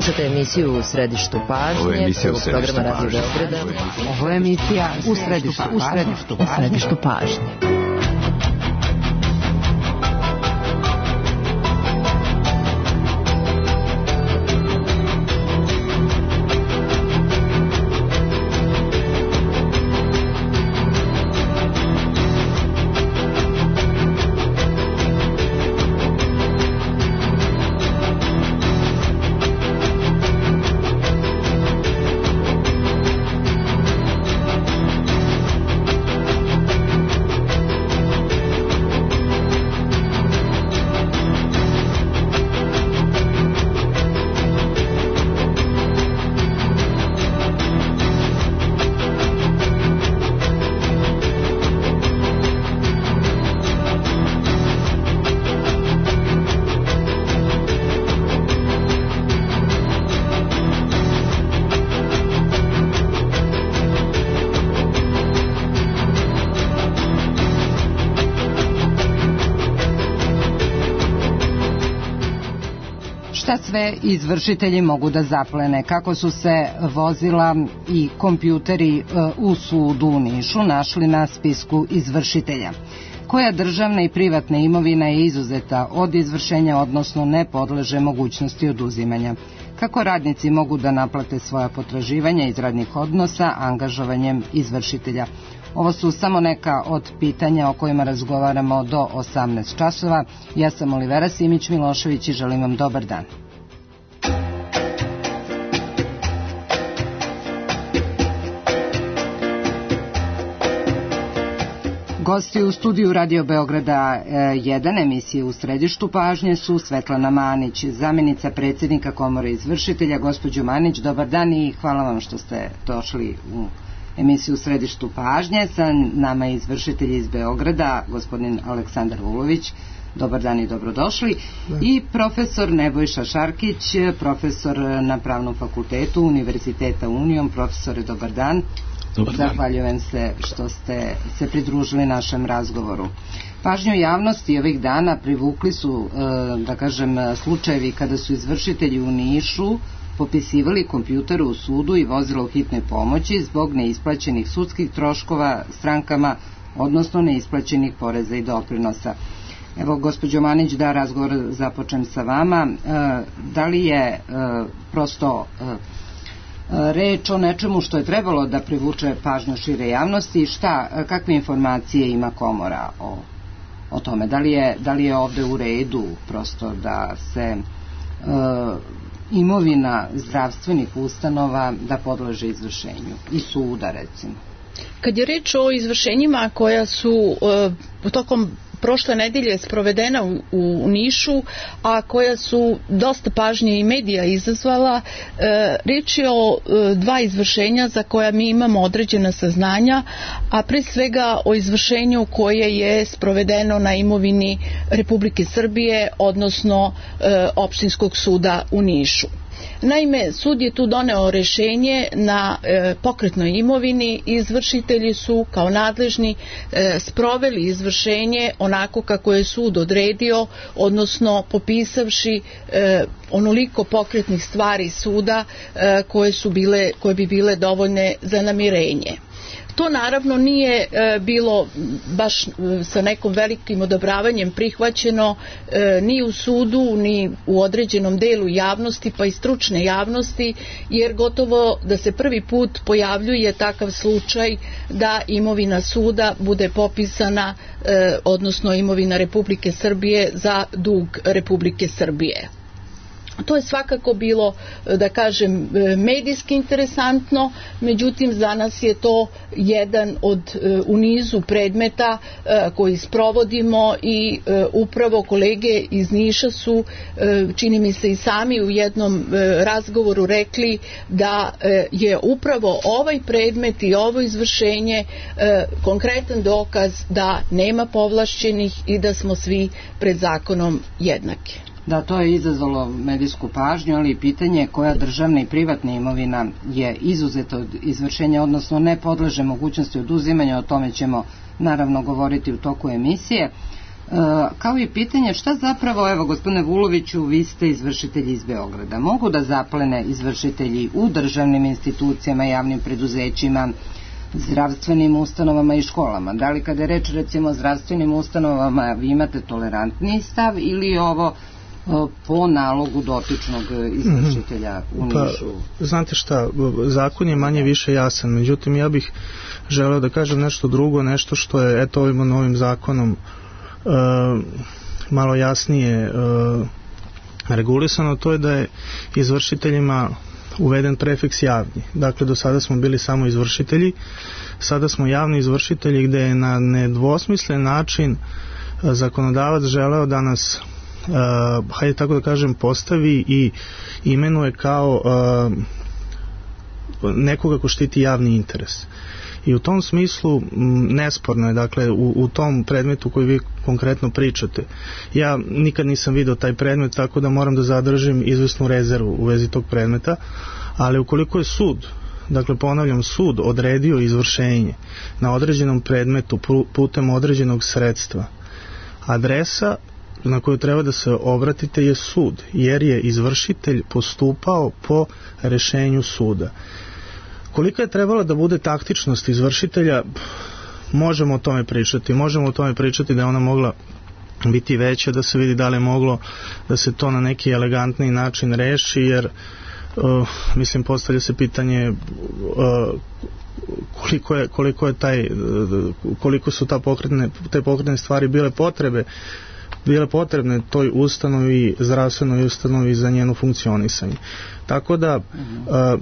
Slušate emisiju U središtu pažnje. Ovo je emisija U središtu programa Radio pažnje. Beograda. Ovo je emisija U središtu pažnje. Šta sve izvršitelji mogu da zaplene? Kako su se vozila i kompjuteri u sudu u Nišu našli na spisku izvršitelja? Koja državna i privatna imovina je izuzeta od izvršenja, odnosno ne podleže mogućnosti oduzimanja? Kako radnici mogu da naplate svoja potraživanja iz radnih odnosa angažovanjem izvršitelja? Ovo su samo neka od pitanja o kojima razgovaramo do 18 časova. Ja sam Olivera Simić-Milošević i želim vam dobar dan. Gosti u studiju Radio Beograda 1 emisije U središtu pažnje su Svetlana Manić, zamjenica predsjednika Komore izvršitelja. Gospođo Manić, dobar dan i hvala vam što ste došli u emisiju U središtu pažnje. Sa nama je izvršitelj iz Beograda, gospodin Aleksandar Vulović. Dobar dan i dobrodošli. I profesor Nebojša Šarkić, profesor na Pravnom fakultetu Univerziteta Union. Profesore, dobar dan. Zahvaljujem se što ste se pridružili našem razgovoru. Pažnju javnosti ovih dana privukli su, da kažem, slučajevi kada su izvršitelji u Nišu popisivali kompjutere u sudu i vozila u hitnoj pomoći zbog neisplaćenih sudskih troškova strankama, odnosno neisplaćenih poreza i doprinosa. Evo, gospođo Manić, da razgovor započnem sa vama. Da li je prosto reč o nečemu što je trebalo da privuče pažnju šire javnosti? Kakve informacije ima Komora o tome? Da li je ovde u redu prosto da se imovina zdravstvenih ustanova da podleže izvršenju i suda, recimo? Kad je reč o izvršenjima koja su tokom prošle nedelje sprovedena u Nišu, a koja su dosta pažnje i medija izazvala, reč je o dva izvršenja za koja mi imamo određena saznanja, a pre svega o izvršenju koje je sprovedeno na imovini Republike Srbije, odnosno Opštinskog suda u Nišu. Naime, sud je tu doneo rešenje na pokretnoj imovini i izvršitelji su kao nadležni sproveli izvršenje onako kako je sud odredio, odnosno popisavši onoliko pokretnih stvari suda koje bi bile dovoljne za namirenje. To naravno nije bilo baš sa nekom velikim odobravanjem prihvaćeno ni u sudu, ni u određenom delu javnosti, pa i stručne javnosti, jer gotovo da se prvi put pojavljuje takav slučaj da imovina suda bude popisana, odnosno imovina Republike Srbije za dug Republike Srbije. To je svakako bilo, da kažem, medijski interesantno, međutim za nas je to jedan u nizu predmeta koji sprovodimo i upravo kolege iz Niša su, čini mi se i sami u jednom razgovoru rekli da je upravo ovaj predmet i ovo izvršenje konkretan dokaz da nema povlašćenih i da smo svi pred zakonom jednaki. Da, to je izazvalo medijsku pažnju, ali i pitanje koja državna i privatna imovina je izuzeta od izvršenja, odnosno ne podleže mogućnosti oduzimanja. O tome ćemo naravno govoriti u toku emisije. kao i pitanje šta zapravo, evo gospodine Vuloviću, vi ste izvršitelji iz Beograda, mogu da zaplene izvršitelji u državnim institucijama, javnim preduzećima, zdravstvenim ustanovama i školama? Da li kada je reč recimo o zdravstvenim ustanovama vi imate tolerantniji stav ili ovo po nalogu dotičnog izvršitelja u Nišu? Pa, znate šta, zakon je manje više jasan, međutim ja bih želeo da kažem nešto drugo, nešto što je eto ovim novim zakonom malo jasnije regulisano, to je da je izvršiteljima uveden prefiks javni. Dakle, do sada smo bili samo izvršitelji, sada smo javni izvršitelji, gde je na nedvosmislen način zakonodavac želeo da nas hajde tako da kažem postavi i imenuje kao nekoga ko štiti javni interes. I u tom smislu nesporno je, dakle, u tom predmetu koji vi konkretno pričate. Ja nikad nisam video taj predmet, tako da moram da zadržim izvesnu rezervu u vezi tog predmeta, ali ukoliko je sud, dakle ponavljam, sud odredio izvršenje na određenom predmetu putem određenog sredstva, adresa na koju treba da se obratite je sud, jer je izvršitelj postupao po rešenju suda. Kolika je trebala da bude taktičnost izvršitelja, možemo o tome pričati da je ona mogla biti veća, da se vidi da li je moglo da se to na neki elegantni način reši, jer mislim postavlja se pitanje koliko su te pokretne stvari bile potrebne toj ustanovi, zdravstvenoj ustanovi za njeno funkcionisanje. Tako da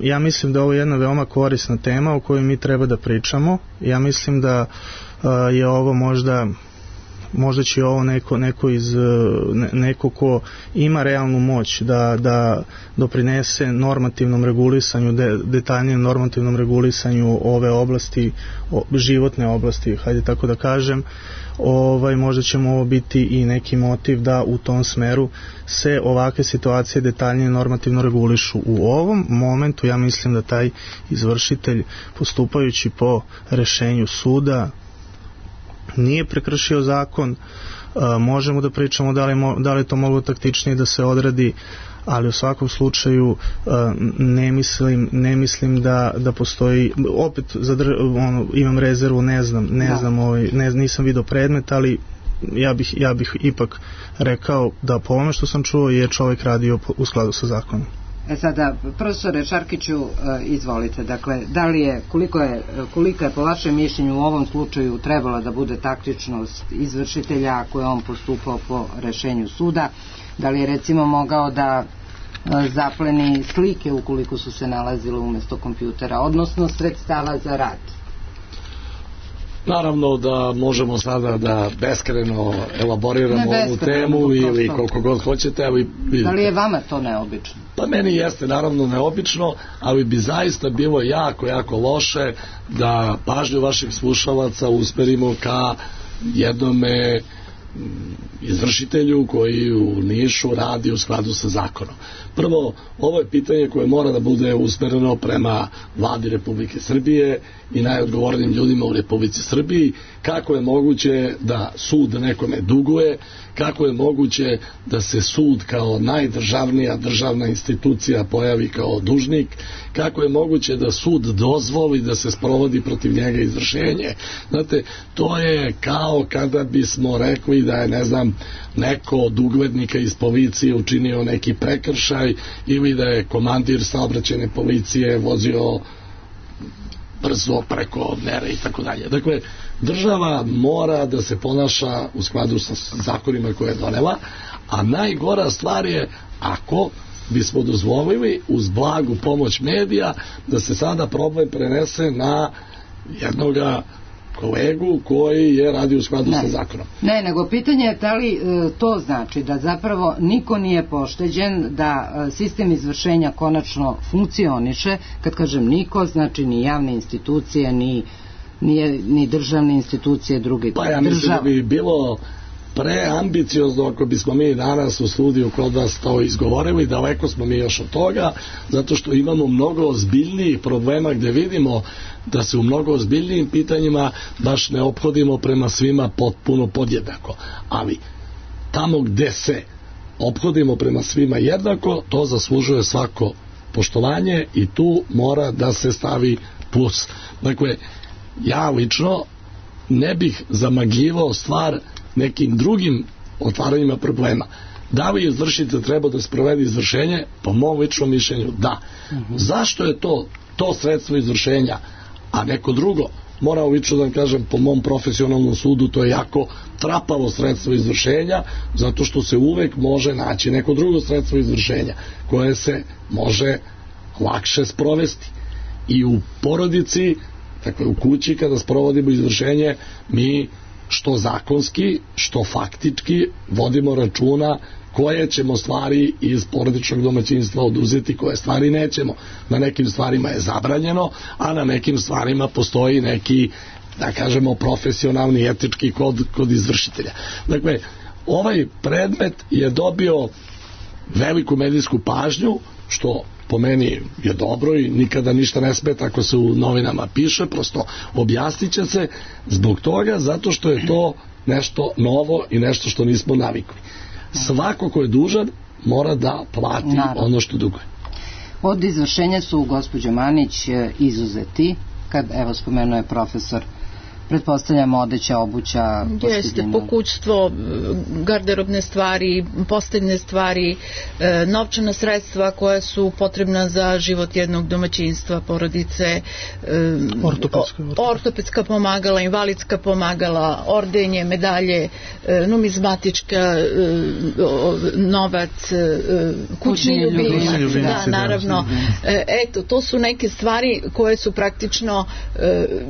ja mislim da ovo je jedna veoma korisna tema o kojoj mi treba da pričamo. Ja mislim da je ovo možda će ovo neko ko ima realnu moć da doprinese normativnom regulisanju, detaljnijem normativnom regulisanju ove oblasti, životne oblasti, hajde tako da kažem. Možda će mu ovo biti i neki motiv da u tom smeru se ovakve situacije detaljnije normativno regulišu. U ovom momentu ja mislim da taj izvršitelj, postupajući po rešenju suda, nije prekršio zakon. Možemo da pričamo da li je to moglo taktičnije da se odradi, ali u svakom slučaju ne mislim da postoji, opet imam rezervu, ne znam, nisam video predmet, ali ja bih ipak rekao da po ovome što sam čuo je čovjek radio u skladu sa zakonom. Sada, profesore Šarkiću, izvolite, dakle, da li je, kolika je po vašem mišljenju u ovom slučaju trebala da bude taktičnost izvršitelja ako je on postupao po rešenju suda? Da li je recimo mogao da zapleni slike ukoliko su se nalazile umesto kompjutera, odnosno sredstava za rad? Naravno da možemo sada da beskrajno elaboriramo ovu temu ili koliko god hoćete. Da li je vama to neobično? Pa meni jeste naravno neobično, ali bi zaista bilo jako loše da pažnju vaših slušalaca usmerimo ka jednome izvršitelju koji u Nišu radi u skladu sa zakonom. Prvo, ovo je pitanje koje mora da bude usmereno prema Vladi Republike Srbije i najodgovornijim ljudima u Republici Srbiji. Kako je moguće da sud nekome duguje, kako je moguće da se sud kao najdržavnija državna institucija pojavi kao dužnik, kako je moguće da sud dozvoli da se sprovodi protiv njega izvršenje. Znate, to je kao kada bismo rekli da je, ne znam, neko od uglednika iz policije učinio neki prekršaj ili da je komandir saobraćajne policije vozio brzo preko mere i tako dalje. Dakle, država mora da se ponaša u skladu sa zakonima koje je donela, a najgora stvar je ako bismo dozvolili uz blagu pomoć medija da se sada problem prenese na jednoga kolegu koji je radio u skladu sa zakonom. Ne, nego pitanje je da li to znači da zapravo niko nije pošteđen, da sistem izvršenja konačno funkcioniše. Kad kažem niko, znači ni javne institucije, ni državne institucije, druge države. Pa ja mislim da bi bilo preambiciozno ako bismo mi danas u studiju kod vas to izgovorili, daleko smo mi još od toga, zato što imamo mnogo ozbiljnijih problema gdje vidimo da se u mnogo ozbiljnijim pitanjima baš ne ophodimo prema svima potpuno podjednako. Ali tamo gdje se ophodimo prema svima jednako, to zaslužuje svako poštovanje i tu mora da se stavi plus. Dakle, ja lično ne bih zamagljivao stvar nekim drugim otvaranjima problema. Da li izvršitelj treba da sprovede izvršenje? Po mom ličnom mišljenju da. Zašto je to sredstvo izvršenja, a neko drugo? Moram lično da vam kažem, po mom profesionalnom sudu to je jako trapavo sredstvo izvršenja, zato što se uvek može naći neko drugo sredstvo izvršenja koje se može lakše sprovesti. I u porodici, dakle u kući kada sprovodimo izvršenje, mi što zakonski, što faktički vodimo računa koje ćemo stvari iz porodičnog domaćinstva oduzeti, koje stvari nećemo. Na nekim stvarima je zabranjeno, a na nekim stvarima postoji neki, da kažemo, profesionalni etički kod izvršitelja. Dakle, ovaj predmet je dobio veliku medijsku pažnju, što po meni je dobro i nikada ništa ne smeta ako se u novinama piše, prosto objasnit će se zbog toga, zato što je to nešto novo i nešto što nismo navikli. Svako ko je dužan mora da plati ono što duguje. Od izvršenja su, gospođo Manić, izuzeti, kad, evo, spomenuo je profesor, pretpostavljamo odeća, obuća, jeste, pokućstvo, garderobne stvari, posteljne stvari, novčana sredstva koja su potrebna za život jednog domaćinstva, porodice, ortopedska pomagala, invalidska pomagala, ordenje, medalje, numizmatička, novac, kućni ljubimci, da, naravno. Eto, to su neke stvari koje su praktično,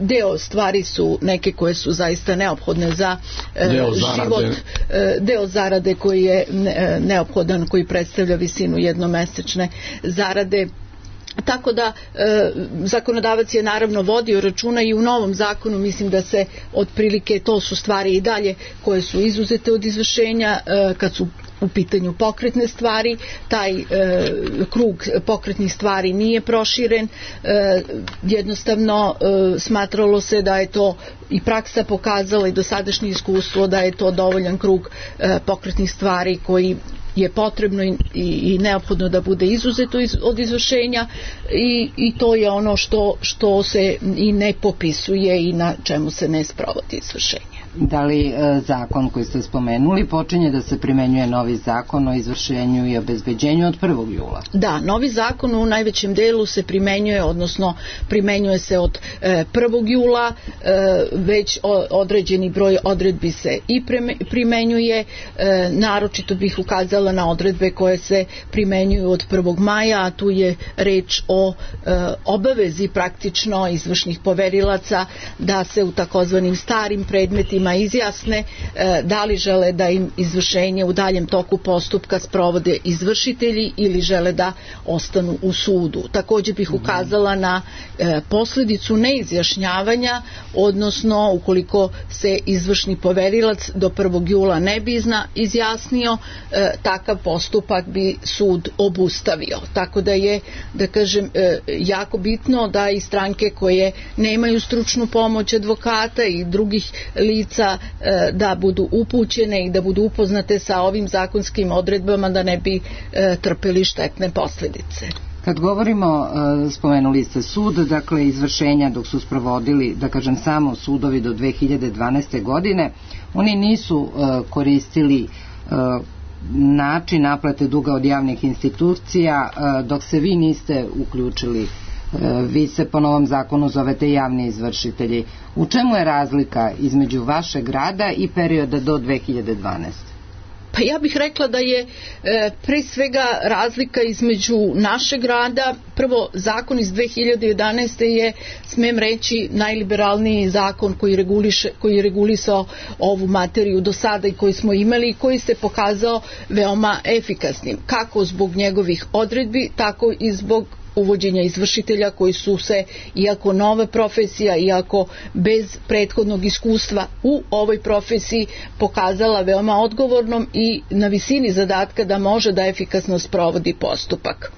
deo stvari su neke koje su zaista neophodne za život, deo zarade koji je neophodan, koji predstavlja visinu jednomesečne zarade. Tako da zakonodavac je naravno vodio računa i u novom zakonu, mislim da se otprilike, to su stvari i dalje koje su izuzete od izvršenja kad su u pitanju pokretne stvari, taj krug pokretnih stvari nije proširen, jednostavno smatralo se da je to, i praksa pokazala i dosadašnje iskustvo, da je to dovoljan krug pokretnih stvari koji je potrebno i neophodno da bude izuzeto od izvršenja i to je ono što se i ne popisuje i na čemu se ne sprovodi izvršenje. Da li zakon koji ste spomenuli počinje da se primenjuje novi zakon o izvršenju i obezbeđenju od 1. jula? Da, novi zakon u najvećem delu se primenjuje, odnosno primenjuje se od 1. jula, već određeni broj odredbi se i primenjuje, naročito bih ukazala na odredbe koje se primenjuju od 1. maja, a tu je reč o obavezi praktično izvršnih poverilaca da se u takozvanim starim predmetima izjasne da li žele da im izvršenje u daljem toku postupka sprovode izvršitelji ili žele da ostanu u sudu. Također bih ukazala na posljedicu neizjašnjavanja, odnosno ukoliko se izvršni poverilac do 1. jula ne bi izjasnio, takav postupak bi sud obustavio. Tako da je, da kažem, jako bitno da i stranke koje nemaju stručnu pomoć advokata i drugih lica da budu upućene i da budu upoznate sa ovim zakonskim odredbama, da ne bi trpeli štetne posljedice. Kad govorimo, spomenuli ste sud, dakle izvršenja dok su sprovodili, da kažem, samo sudovi do 2012. godine, oni nisu koristili način naplate duga od javnih institucija dok se vi niste uključili. Vi se po novom zakonu zovete javni izvršitelji. U čemu je razlika između vašeg rada i perioda do 2012? Pa ja bih rekla da je pre svega razlika između našeg rada. Prvo, zakon iz 2011. je, smem reći, najliberalniji zakon koji je regulisao ovu materiju do sada i koji smo imali i koji se pokazao veoma efikasnim, kako zbog njegovih odredbi, tako i zbog uvođenja izvršitelja koji su se, iako nova profesija, iako bez prethodnog iskustva u ovoj profesiji, pokazala veoma odgovornom i na visini zadatka da može da efikasno sprovodi postupak.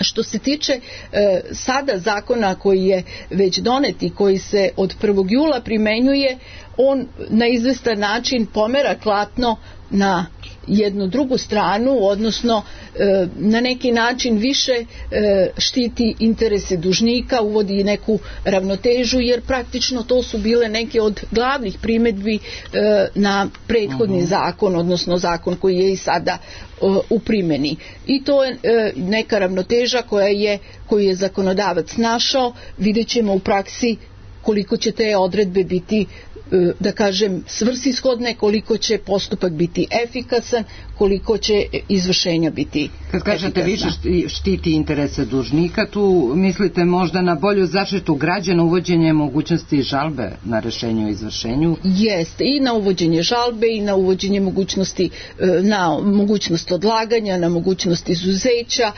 Što se tiče sada zakona koji je već donet i koji se od 1. jula primenjuje, on na izvestan način pomera klatno na jednu drugu stranu, odnosno na neki način više štiti interese dužnika, uvodi neku ravnotežu, jer praktično to su bile neke od glavnih primedbi na prethodni zakon, odnosno zakon koji je i sada u primjeni. I to je neka ravnoteža koju je zakonodavac našao. Vidjet ćemo u praksi koliko će te odredbe biti, da kažem, svrsishodne, koliko će postupak biti efikasan, koliko će izvršenja biti Kad kažete više štiti interese dužnika, tu mislite možda na bolju zaštitu građana, uvođenje mogućnosti žalbe na rešenje o izvršenju? Jeste, i na uvođenje žalbe i na uvođenje mogućnosti, na mogućnost odlaganja, na mogućnost izuzeća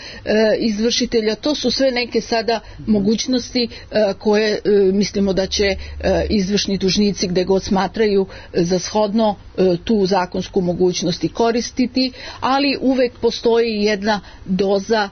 izvršitelja. To su sve neke sada mogućnosti koje mislimo da će izvršni dužnici gde god smatraju za shodno tu zakonsku mogućnost i koristiti, ali uvek postoji jedna doza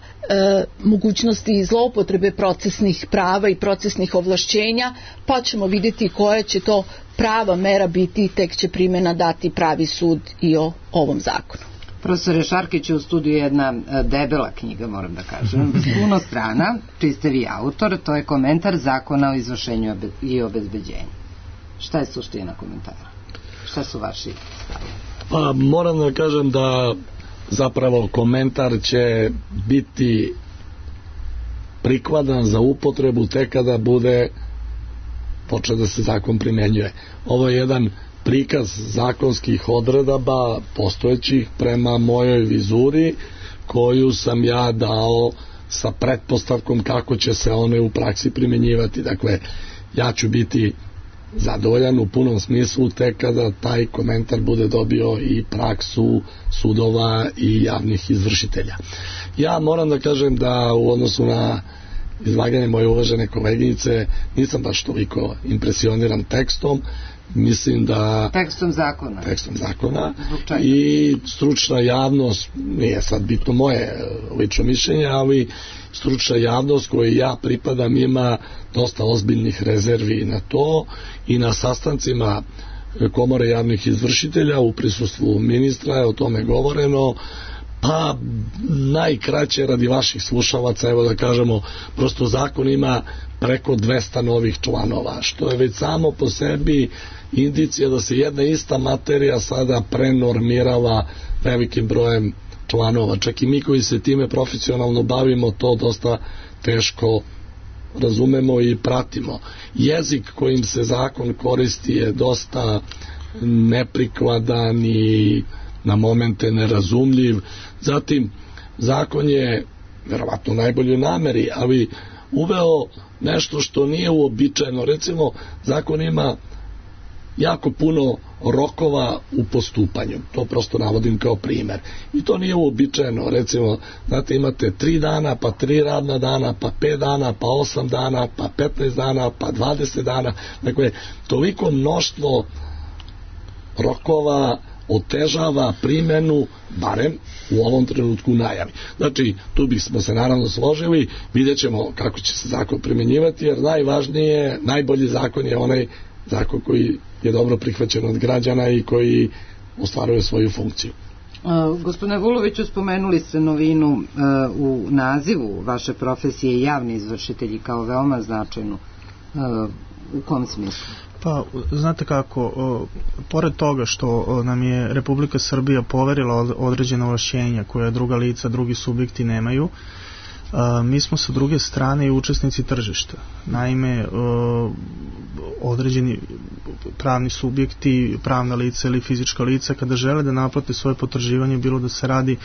mogućnosti i zloupotrebe procesnih prava i procesnih ovlašćenja, pa ćemo vidjeti koja će to prava mera biti, tek će primjena dati pravi sud i o ovom zakonu. Profesore Šarkić, u studiju jedna debela knjiga, moram da kažem, puno strana, čiji ste vi autor, to je komentar zakona o izvršenju i obezbeđenju. Šta je suština komentara? Šta su vaši stavovi? Pa moram da kažem da zapravo komentar će biti prikladan za upotrebu tek kada bude počeo da se zakon primenjuje. Ovo je jedan prikaz zakonskih odredaba postojećih prema mojoj vizuri, koju sam ja dao sa pretpostavkom kako će se one u praksi primenjivati. Dakle, ja ću biti zadovoljan u punom smislu tek kada taj komentar bude dobio i praksu sudova i javnih izvršitelja. Ja moram da kažem da u odnosu na izlaganje moje uvažene koleginice nisam baš toliko impresioniran tekstom. Mislim da tekstom zakona i stručna javnost, nije sad bitno moje lično mišljenje, ali stručna javnost kojoj ja pripadam ima dosta ozbiljnih rezervi na to i na sastancima Komore javnih izvršitelja u prisustvu ministra je o tome govoreno. Pa najkraće radi vaših slušalaca, evo da kažemo, prosto zakon ima preko 200 novih članova, što je već samo po sebi indicija da se jedna ista materija sada prenormirava velikim brojem članova. Čak i mi koji se time profesionalno bavimo to dosta teško razumemo i pratimo. Jezik kojim se zakon koristi je dosta neprikladan i na momente nerazumljiv. Zatim, zakon je verovatno najbolji u nameri, ali uveo nešto što nije uobičajeno. Recimo, zakon ima jako puno rokova u postupanju. To prosto navodim kao primer. I to nije uobičajeno. Recimo, znate, imate 3 dana, pa 3 radna dana, pa 5 dana, pa 8 dana, pa 15 dana, pa 20 dana. Dakle, toliko mnoštvo rokova otežava primjenu, barem u ovom trenutku najavi. Znači, tu bismo se naravno složili, vidjet ćemo kako će se zakon primjenjivati, jer najvažnije, najbolji zakon je onaj zakon koji je dobro prihvaćen od građana i koji ostvaruje svoju funkciju. Gospodine Vuloviću, spomenuli ste novinu u nazivu vaše profesije javni izvršitelji kao veoma značajnu. U kom smislu? Pa, znate kako, pored toga što nam je Republika Srbija poverila određena ovlašćenja koje druga lica, drugi subjekti nemaju, mi smo sa druge strane i učesnici tržišta. Naime, određeni pravni subjekti, pravna lica ili fizička lica, kada žele da naplate svoje potraživanje, bilo da se radi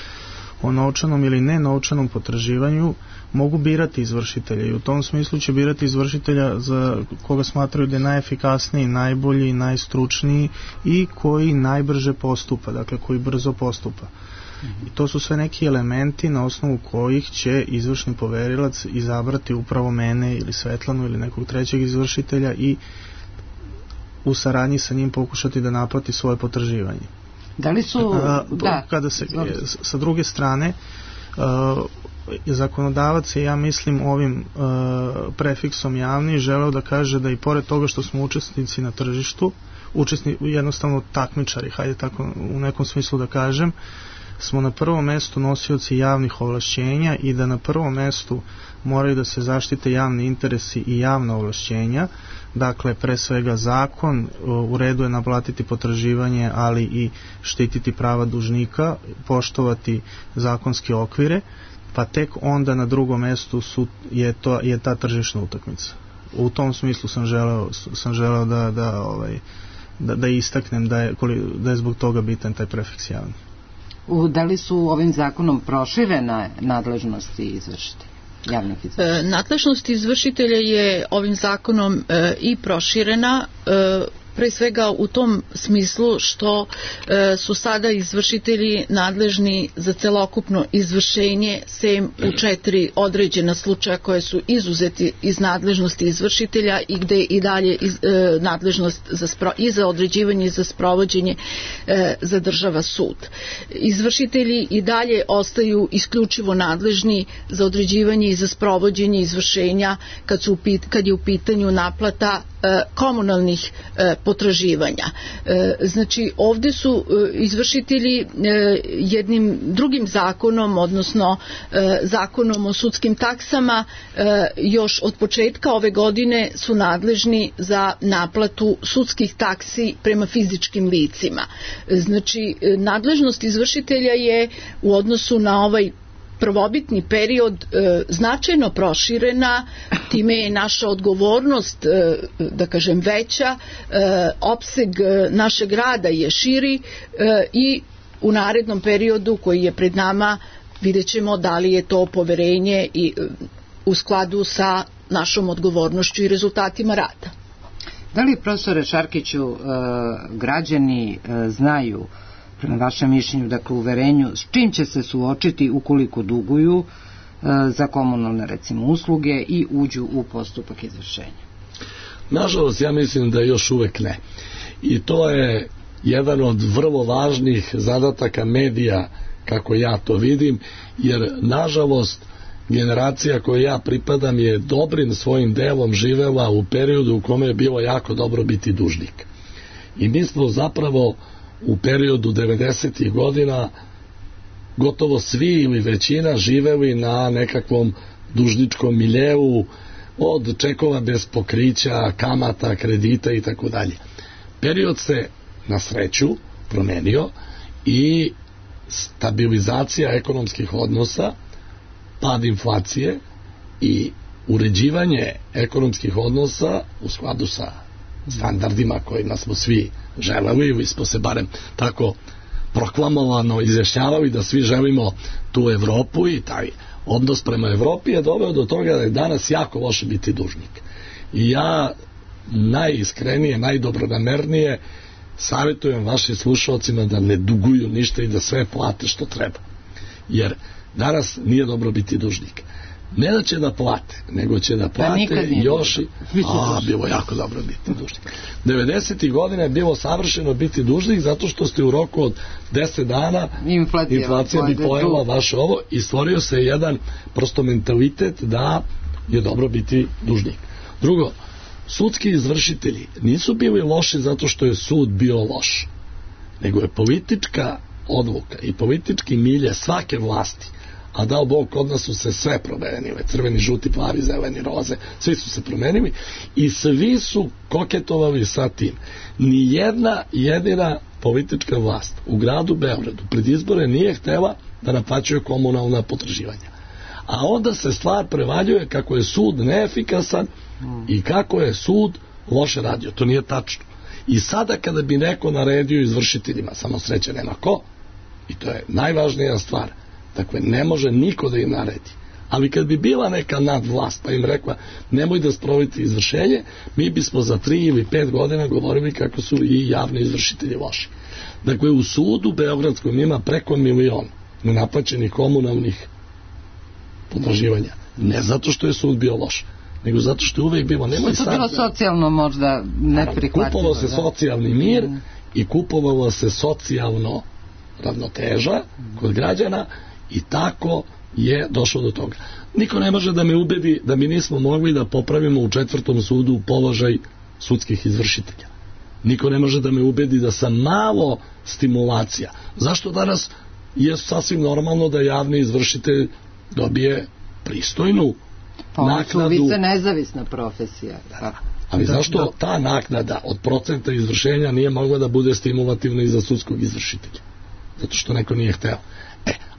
o novčanom ili nenovčanom potraživanju mogu birati izvršitelja i u tom smislu će birati izvršitelja za koga smatraju da je najefikasniji, najbolji, najstručniji i koji najbrže postupa, dakle koji brzo postupa. I to su sve neki elementi na osnovu kojih će izvršni poverilac izabrati upravo mene ili Svetlanu ili nekog trećeg izvršitelja i u saradnji sa njim pokušati da naplati svoje potraživanje. Da li su... Kada se, sa druge strane, zakonodavac je, ja mislim, ovim prefiksom javni želeo da kaže da i pored toga što smo učesnici na tržištu, jednostavno takmičari, hajde tako u nekom smislu da kažem, smo na prvom mestu nosioci javnih ovlašćenja i da na prvom mestu moraju da se zaštite javni interesi i javna ovlašćenja. Dakle, pre svega zakon, u redu je naplatiti potraživanje, ali i štititi prava dužnika, poštovati zakonske okvire, pa tek onda na drugom mestu je ta tržišna utakmica. U tom smislu sam želeo da istaknem da je zbog toga bitan taj prefiks javni. Da li su ovim zakonom proširene nadležnosti izvršitelja? Nadležnost izvršitelja je ovim zakonom i proširena, pre svega u tom smislu što su sada izvršitelji nadležni za celokupno izvršenje, sem u 4 određena slučaja koje su izuzeti iz nadležnosti izvršitelja i gde i dalje nadležnost i za određivanje i za sprovođenje zadržava sud. Izvršitelji i dalje ostaju isključivo nadležni za određivanje i za sprovođenje izvršenja kad je u pitanju naplata komunalnih potraživanja. Znači, ovde su izvršitelji jednim drugim zakonom, odnosno zakonom o sudskim taksama, još od početka ove godine su nadležni za naplatu sudskih taksi prema fizičkim licima. Znači, nadležnost izvršitelja je u odnosu na ovaj prvobitni period značajno proširena, time je naša odgovornost, da kažem, veća, opseg našeg rada je širi i u narednom periodu koji je pred nama vidjet ćemo da li je to poverenje i u skladu sa našom odgovornošću i rezultatima rada. Da li, profesore Šarkiću, građani znaju, prema vašem mišljenju, dakle uverenju, s čim će se suočiti ukoliko duguju za komunalne, recimo, usluge i uđu u postupak izvršenja? Nažalost, ja mislim da još uvek ne. I to je jedan od vrlo važnih zadataka medija, kako ja to vidim, jer nažalost generacija kojoj ja pripadam je dobrim svojim delom živela u periodu u kome je bilo jako dobro biti dužnik. I mi smo zapravo u periodu 90. godina gotovo svi ili većina živeli na nekakvom dužničkom miljeu, od čekova bez pokrića, kamata, kredita i tako dalje. Period se na sreću promenio i stabilizacija ekonomskih odnosa, pad inflacije i uređivanje ekonomskih odnosa u skladu sa standardima kojima smo svi želeli ili smo se barem tako proklamovano izjašnjavali da svi želimo tu Evropu i taj odnos prema Evropi je doveo do toga da je danas jako loše biti dužnik. I ja najiskrenije, najdobronamernije savjetujem vašim slušalcima da ne duguju ništa i da sve plate što treba. Jer danas nije dobro biti dužnik. Ne da će da plate, nego će da plate još i... bilo jako dobro biti dužnik. 90. godina je bilo savršeno biti dužnik zato što ste u roku od 10 dana inflacija bi pojela vaše ovo i stvorio se jedan prosto mentalitet da je dobro biti dužnik. Drugo, sudski izvršitelji nisu bili loši zato što je sud bio loš, nego je politička odluka i politički milje svake vlasti, a dao Bog, kod nas su se sve promenile, crveni, žuti, plavi, zeleni, roze, svi su se promenili i svi su koketovali sa tim. Nijedna jedina politička vlast u gradu Beogradu pred izbore nije htela da naplaćuje komunalna potraživanja. A onda se stvar prevaljuje kako je sud neefikasan i kako je sud loše radio. To nije tačno. I sada kada bi neko naredio izvršiteljima, samo sreće nema ko, i to je najvažnija stvar, Dakle, ne može niko da im naredi. Ali kad bi bila neka nadvlast pa im rekla nemoj da sprovodite izvršenje, mi bismo za 3 ili 5 godina govorili kako su i javni izvršitelji loši. Dakle, u sudu beogradskom ima preko 1 milion nenaplaćenih komunalnih potraživanja. Ne zato što je sud bio loš, nego zato što je uvek bilo... Što je bilo socijalno možda neprihvatljivo. Kupovao se socijalni mir i kupovalo se socijalno ravnoteža kod građana i tako je došlo do toga. Niko ne može da me ubedi da mi nismo mogli da popravimo u 4. sudu položaj sudskih izvršitelja. Niko ne može da me ubedi da sam malo stimulacija. Zašto danas je sasvim normalno da javni izvršitelj dobije pristojnu naknadu? Vi ste nezavisna profesija. Ali zašto ta naknada od procenta izvršenja nije mogla da bude stimulativna i za sudskog izvršitelja? Zato što neko nije hteo.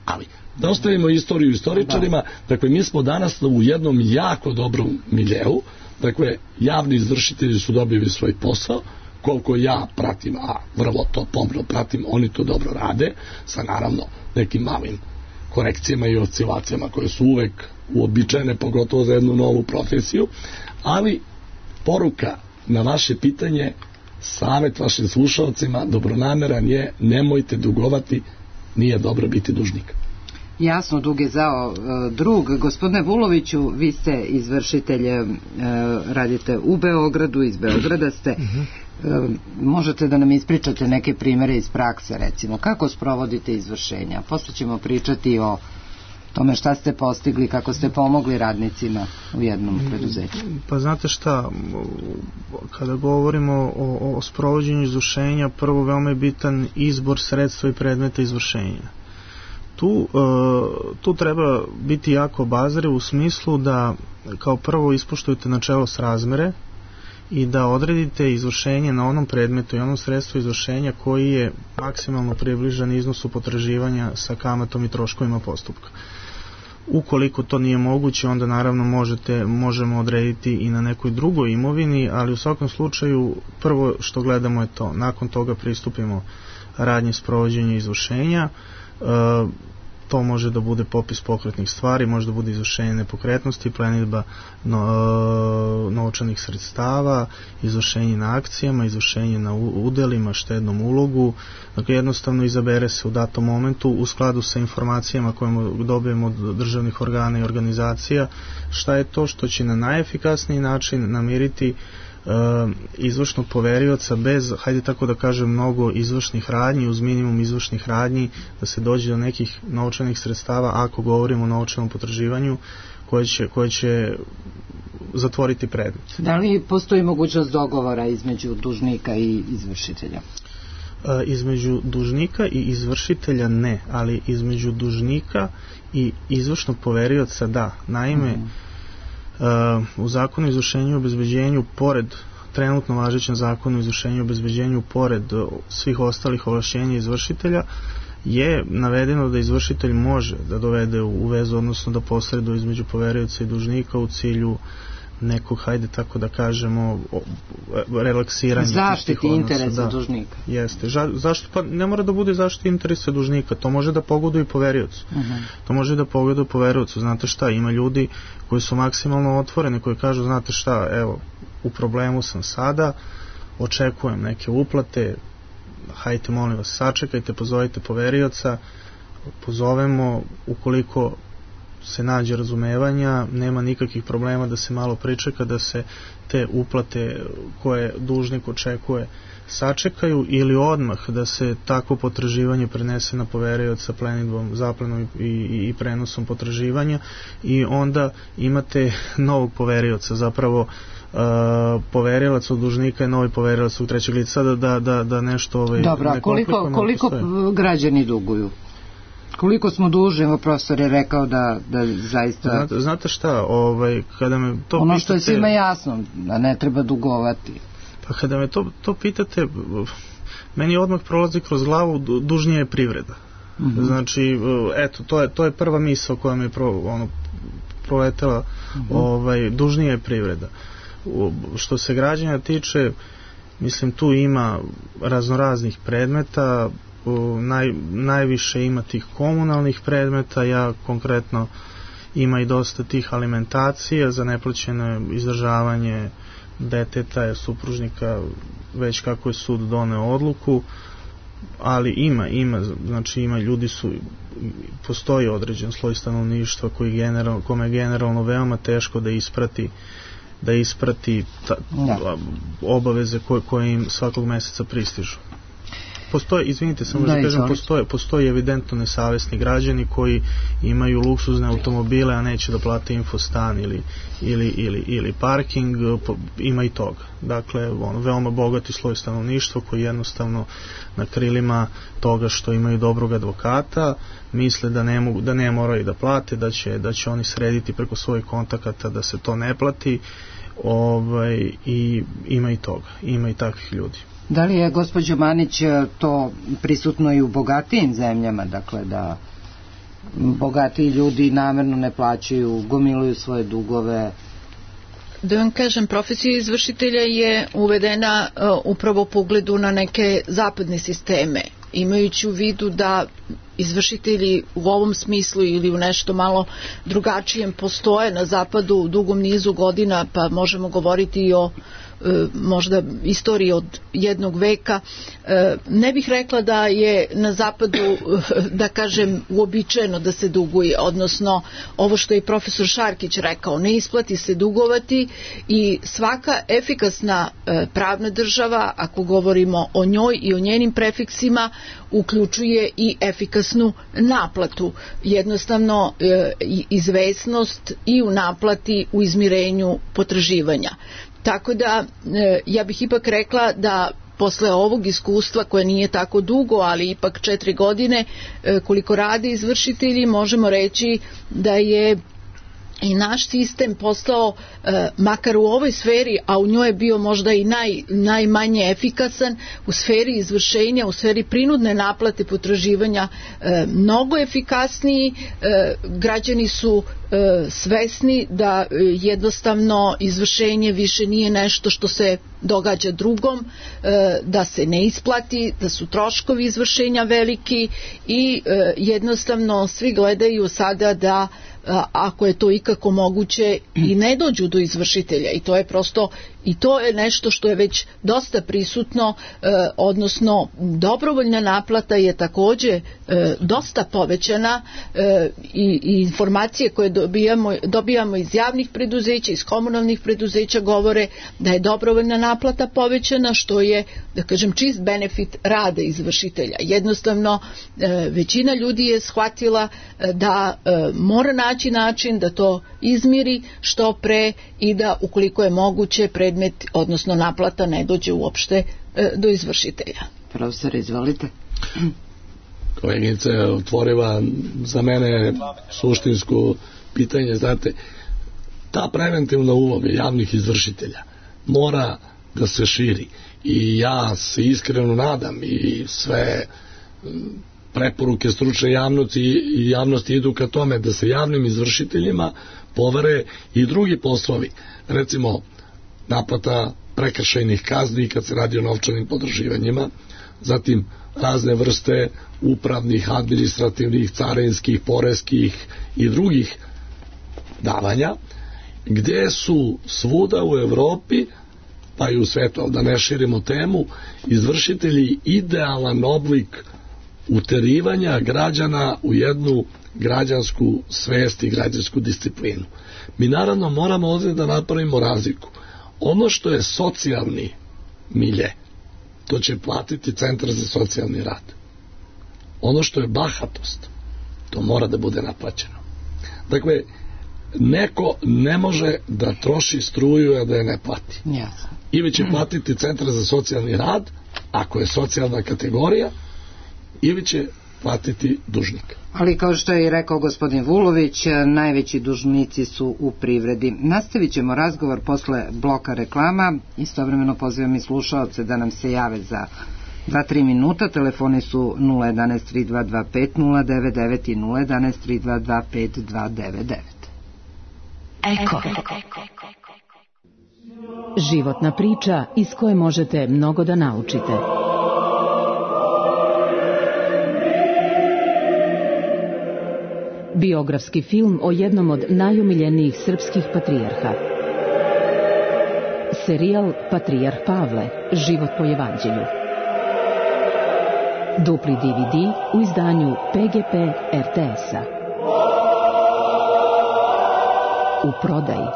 Ali da ostavimo istoriju istoričarima, dakle mi smo danas u jednom jako dobrom miljeu, dakle javni izvršitelji su dobili svoj posao, koliko ja pratim, a vrlo to pomno pratim, oni to dobro rade, sa naravno nekim malim korekcijama i oscilacijama koje su uvek uobičajene, pogotovo za jednu novu profesiju, ali poruka na vaše pitanje, savet vašim slušalcima dobronameran je, nemojte dugovati, nije dobro biti dužnik. Jasno, dug je zao drug. Gospodine Vuloviću, vi ste izvršitelj, radite u Beogradu, iz Beograda ste. Možete da nam ispričate neke primere iz prakse, recimo, kako sprovodite izvršenja? Posle ćemo pričati o tome šta ste postigli, kako ste pomogli radnicima u jednom preduzeću. Pa znate šta, kada govorimo o sprovođenju izvršenja, prvo veoma je bitan izbor sredstva i predmeta izvršenja. Tu treba biti jako obazriv u smislu da kao prvo ispoštujete načelo srazmere i da odredite izvršenje na onom predmetu i onom sredstvu izvršenja koji je maksimalno približan iznosu potraživanja sa kamatom i troškovima postupka. Ukoliko to nije moguće, onda naravno možemo odrediti i na nekoj drugoj imovini, ali u svakom slučaju prvo što gledamo je to. Nakon toga pristupimo radnji sprovođenja izvršenja. To može da bude popis pokretnih stvari, može da bude izvršenje nepokretnosti, plenidba novčanih sredstava, izvršenje na akcijama, izvršenje na udelima, štednom ulogu. Dakle, jednostavno izabere se u datom momentu u skladu sa informacijama koje dobijemo od državnih organa i organizacija šta je to što će na najefikasniji način namiriti izvršnog poverioca bez, hajde tako da kažem, mnogo izvršnih radnji, uz minimum izvršnih radnji da se dođe do nekih novčanih sredstava, ako govorimo o novčanom potraživanju koje će zatvoriti predmet. Da li postoji mogućnost dogovora između dužnika i izvršitelja? Između dužnika i izvršitelja ne, ali između dužnika i izvršnog poverioca da. Naime, u zakonu o izvršenju i obezbeđenju, pored trenutno važećem zakonu o izvršenju i obezbeđenju, pored svih ostalih ovlašćenja izvršitelja, je navedeno da izvršitelj može da dovede u vezu, odnosno da posreduje između poverioca i dužnika u cilju nekog, hajde tako da kažemo, relaksiranja zaštiti interesa dužnika. Jeste. Zašto? Pa ne mora da bude zaštiti interesa dužnika, to može da pogoduje i poveriocu. To može da pogoduje poveriocu. Znate šta, ima ljudi koji su maksimalno otvoreni, koji kažu, znate šta, evo, u problemu sam sada, očekujem neke uplate, hajte molim vas, sačekajte, pozovite poverioca, pozovemo, ukoliko se nađe razumevanja, nema nikakvih problema da se malo pričeka, da se te uplate koje dužnik očekuje sačekaju, ili odmah da se takvo potraživanje prenese na poverioca plenidbom, zaplenom i prenosom potraživanja, i onda imate novog poverioca, zapravo poverilac od dužnika je novi poverilac od trećeg lica, da nešto dobro, a koliko građani duguju? Koliko smo dužni, evo profesor je rekao da zaista... Znate šta, kada me to ono pitate... što je svima jasno, da ne treba dugovati. Pa kada me to pitate, meni odmah prolazi kroz glavu, dužnija je privreda. Znači, eto, to je prva misao koja mi je proletela, dužnija je privreda. Što se građana tiče, mislim, tu ima raznoraznih predmeta, najviše ima tih komunalnih predmeta, ja konkretno ima i dosta tih alimentacija za neplaćeno izdržavanje deteta, supružnika, već kako je sud doneo odluku, ali ima ljudi postoji određen sloj stanovništva kome je generalno veoma teško da isprati obaveze koje im svakog meseca pristižu. Postoji evidentno nesavesni građani koji imaju luksuzne automobile, a neće da plate infostan ili parking, ima i toga. Dakle, veoma bogati sloj stanovništva koji jednostavno na krilima toga što imaju dobrog advokata misle da ne moraju da plate, da će oni srediti preko svojih kontakata da se to ne plati, i ima i toga, ima i takvih ljudi. Da li je, gospođo Manić, to prisutno i u bogatijim zemljama, dakle da bogatiji ljudi namerno ne plaćaju, gomiluju svoje dugove? Da vam kažem, profesija izvršitelja je uvedena upravo po ugledu na neke zapadne sisteme, imajući u vidu da izvršitelji u ovom smislu ili u nešto malo drugačijem postoje na zapadu u dugom nizu godina, pa možemo govoriti i o možda istoriji od jednog veka. Ne bih rekla da je na zapadu, da kažem, uobičajeno da se duguje, odnosno ovo što je profesor Šarkić rekao, ne isplati se dugovati i svaka efikasna pravna država, ako govorimo o njoj i o njenim prefiksima, uključuje i efikasnu naplatu. Jednostavno izvesnost i u naplati, u izmirenju potraživanja. Tako da ja bih ipak rekla da posle ovog iskustva, koje nije tako dugo, ali ipak 4 godine koliko rade izvršitelji, možemo reći da je i naš sistem postao, makar u ovoj sferi, a u njoj je bio možda i najmanje efikasan, u sferi izvršenja, u sferi prinudne naplate potraživanja mnogo efikasniji. Građani su svesni da jednostavno izvršenje više nije nešto što se događa drugom, da se ne isplati, da su troškovi izvršenja veliki i jednostavno svi gledaju sada da ako je to ikako moguće i ne dođu do izvršitelja, i to je prosto, i to je nešto što je već dosta prisutno, odnosno dobrovoljna naplata je takođe dosta povećana i informacije koje dobijamo iz javnih preduzeća, iz komunalnih preduzeća govore da je dobrovoljna naplata povećana, što je, da kažem, čist benefit rada izvršitelja. Jednostavno većina ljudi je shvatila da mora naći način da to izmiri što pre i da ukoliko je moguće predmet, odnosno naplata, ne dođe uopšte do izvršitelja. Profesor, izvolite. Kolegica je otvorila za mene suštinsku pitanje. Znate, ta preventivna uloga javnih izvršitelja mora da se širi i ja se iskreno nadam i sve preporuke stručne javnosti idu ka tome da se javnim izvršiteljima povere i drugi poslovi, recimo naplata prekršajnih kazni kad se radi o novčanim potraživanjima, zatim razne vrste upravnih, administrativnih, carinskih, poreskih i drugih davanja, gde su svuda u Evropi, pa i u svetu, da ne širimo temu, izvršitelji idealan oblik uterivanja građana u jednu građansku svest i građansku disciplinu. Mi naravno moramo ovdje da napravimo razliku. Ono što je socijalni milje, to će platiti Centar za socijalni rad. Ono što je bahatost, to mora da bude naplaćeno. Dakle, neko ne može da troši struju, a da je ne plati. Ili će platiti Centar za socijalni rad, ako je socijalna kategorija, ili će platiti dužnik. Ali kao što je i rekao gospodin Vulović, najveći dužnici su u privredi. Nastavit ćemo razgovor posle bloka reklama. Istovremeno pozivam i slušaoce da nam se jave za 2-3 minuta. Telefoni su 011 3225 099 i 011 3225 299. Eko. Životna priča iz koje možete mnogo da naučite. biografski film o jednom od najomiljenijih srpskih patrijarha. Serijal Patrijarh Pavle, život po evanđelju. Dupli DVD u izdanju PGP RTS-a. U prodaji.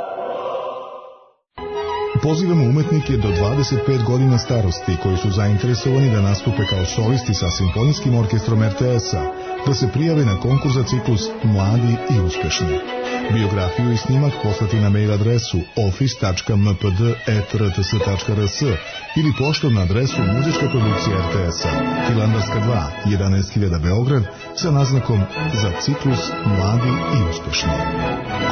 Pozivamo umetnike do 25 godina starosti koji su zainteresovani da nastupe kao solisti sa Simfonijskim orkestrom RTS-a, da se prijave na konkurs za ciklus Mladi i uspešni. Biografiju i snimak poslati na mail adresu office.mpd@rts.rs ili poštom na adresu Muzička produkcija RTS-a, Hilandarska 2, 11.000 Beograd, sa naznakom za ciklus Mladi i uspešni.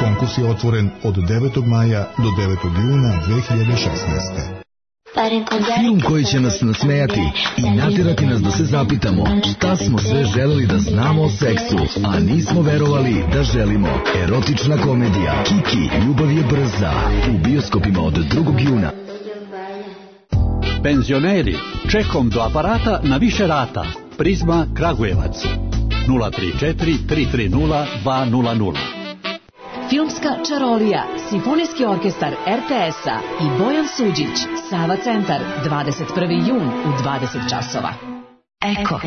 Konkurs je otvoren od 9. maja do 9. juna 2016. Film koji će nas nasmejati i natjerati nas da se zapitamo šta smo sve želeli da znamo o seksu, a nismo verovali da želimo. Erotična komedija Kiki, ljubav je brza, u bioskopima od 2. juna. Penzioneri, čekom do aparata na više rata. Prizma Kragujevac 034 330 200. Filmska čarolija, Simfonijski orkestar RTS-a i Bojan Suđić, Sava centar, 21. jun u 20 časova. Eko.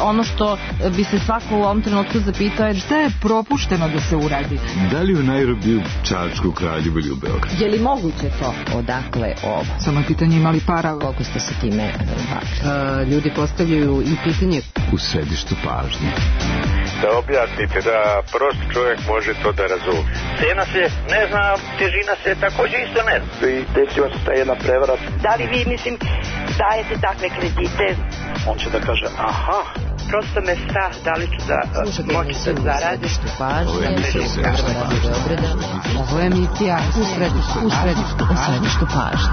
Ono što bi se svako u ovom trenutku zapitao je šta je propušteno da se uradi. Da li u Nairobiju, Čačku, Kraljevu ili u Beogradu? Je li moguće to? Odakle ovo? Samo je pitanje imali para. Koliko ste se time bavili? Ljudi postavljaju i pitanje. U središtu pažnje. Da objasnite da prost čovjek može to da razumije. Cena se ne zna, težina se također isto ne zna. I desila se ta jedna prevara. Da li vi, mislim, dajete takve kredite? On će da kaže, aha, prosto me strah da li ću da moći da zaradim. Ovo je emisija u središtu pažnje.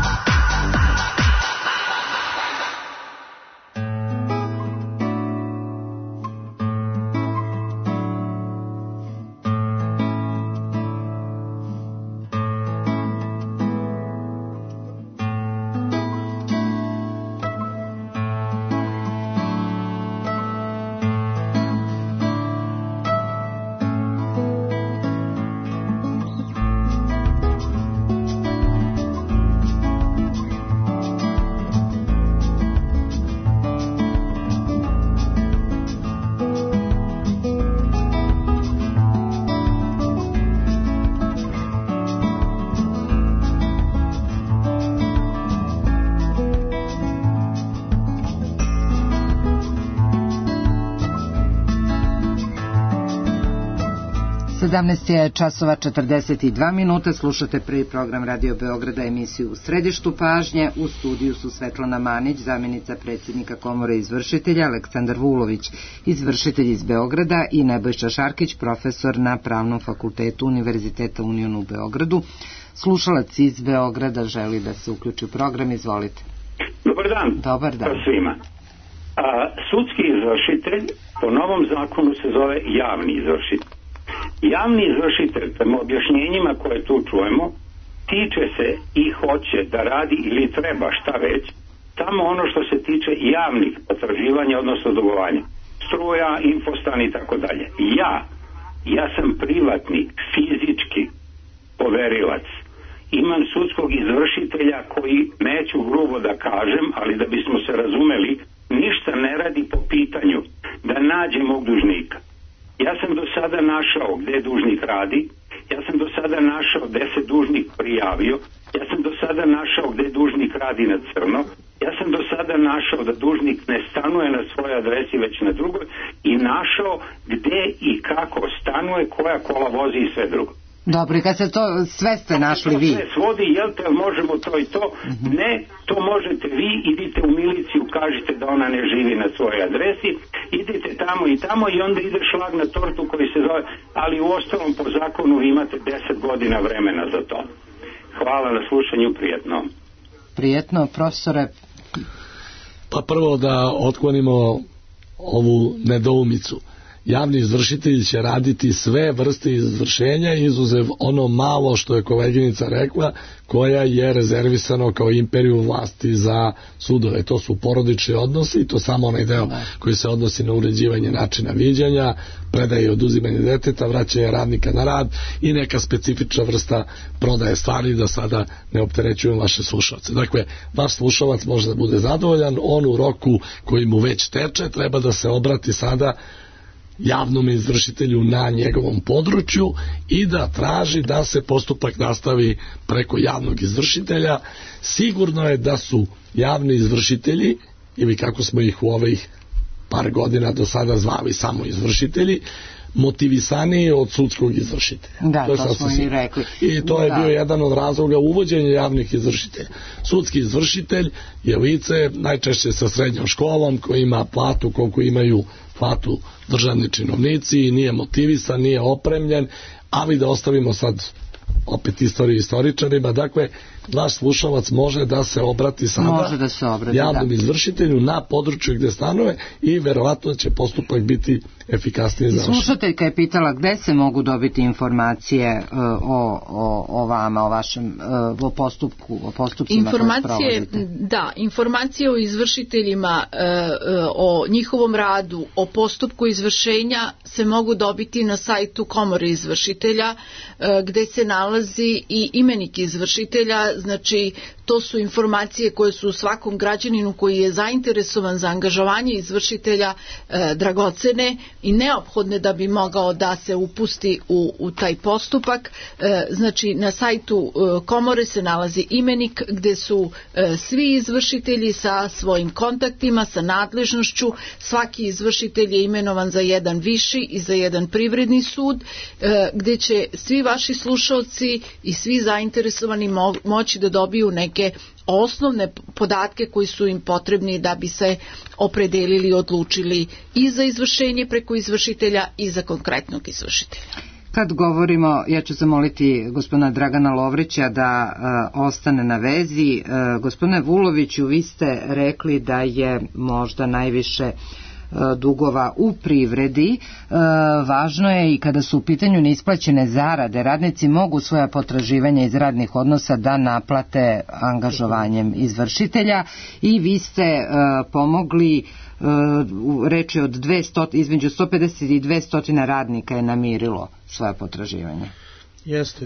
Je časova 42 minuta, slušate prvi program Radio Beograda, emisiju U središtu pažnje. U studiju su Svetlana Manić, zamjenica predsjednika Komore izvršitelja, Aleksandar Vulović, izvršitelj iz Beograda, i Nebojša Šarkić, profesor na Pravnom fakultetu Univerziteta Union u Beogradu. Slušalac iz Beograda želi da se uključi u program, izvolite. Dobar dan. Dobar dan. Svima. Sudski izvršitelj po novom zakonu se zove javni izvršitelj. Javni izvršitelj, prema objašnjenjima koje tu čujemo, tiče se i hoće da radi ili treba šta već, samo ono što se tiče javnih potraživanja, odnosno dugovanja. Struja, infostan i tako dalje. Ja sam privatni, fizički poverilac. Imam sudskog izvršitelja koji, neću grubo da kažem, ali da bismo se razumeli, ništa ne radi po pitanju da nađe mog dužnika. Ja sam do sada našao gde dužnik radi, ja sam do sada našao gde se dužnik prijavio, ja sam do sada našao gde dužnik radi na crno, ja sam do sada našao da dužnik ne stanuje na svojoj adresi već na drugoj i našao gde i kako stanuje, koja kola vozi i sve drugo. Dobro, i kad se to sve ste našli vi? Sve svodi, jel te, možemo to i to? Ne, to možete vi, idite u miliciju, kažite da ona ne živi na svojoj adresi, idite tamo i tamo i onda ide šlag na tortu koji se zove, ali u ostalom po zakonu vi imate 10 godina vremena za to. Hvala na slušanju, prijetno. Prijetno, profesore. Pa prvo da otklonimo ovu nedoumicu. javni izvršitelji će raditi sve vrste izvršenja, izuzev ono malo što je koleginica rekla, koja je rezervisano kao imperiju vlasti za sudove. To su porodični odnosi i to samo onaj deo koji se odnosi na uređivanje načina viđanja, predaje i oduzimanje deteta, vraćanje radnika na rad i neka specifična vrsta prodaje stvari, da sada ne opterećujem vaše slušalce. Dakle, vaš slušalac može da bude zadovoljan, on u roku koji mu već teče treba da se obrati sada javnom izvršitelju na njegovom području i da traži da se postupak nastavi preko javnog izvršitelja. Sigurno je da su javni izvršitelji, ili kako smo ih u ovih par godina do sada zvali samo izvršitelji, motivisaniji od sudskog izvršitelja. Da, to smo i rekli. I to je bio jedan od razloga uvođenja javnih izvršitelja. Sudski izvršitelj je lice najčešće sa srednjom školom, koji ima platu koliko imaju platu državni činovnici, nije motivisan, nije opremljen, ali da ostavimo sad opet istoriju istoričarima. Dakle, vaš slušalac može da se obrati sada javnom izvršitelju na području gde stanuje i verovatno će postupak biti efikasnije završen. Slušateljka je pitala gde se mogu dobiti informacije o vama, o vašem postupcima koje provodite. Da, informacije o izvršiteljima, o njihovom radu, o postupku izvršenja se mogu dobiti na sajtu Komore izvršitelja, gde se nalazi i imenik izvršitelja. Znači, to su informacije koje su svakom građaninu koji je zainteresovan za angažovanje izvršitelja dragocene i neophodne da bi mogao da se upusti u taj postupak. Znači, na sajtu Komore se nalazi imenik gde su svi izvršitelji sa svojim kontaktima, sa nadležnošću. Svaki izvršitelj je imenovan za jedan viši i za jedan privredni sud, gde će svi vaši slušalci i svi zainteresovani moći da dobiju neke osnovne podatke koji su im potrebni da bi se opredelili i odlučili i za izvršenje preko izvršitelja i za konkretnog izvršitelja. Kad govorimo, ja ću zamoliti gospodina Dragana Lovrića da ostane na vezi. Gospodine Vuloviću, vi ste rekli da je možda najviše dugova u privredi. Važno je i kada su u pitanju neisplaćene zarade, radnici mogu svoja potraživanja iz radnih odnosa da naplate angažovanjem izvršitelja i vi ste pomogli, reč je od 200, između 150 i 200 radnika je namirilo svoja potraživanja. Jeste,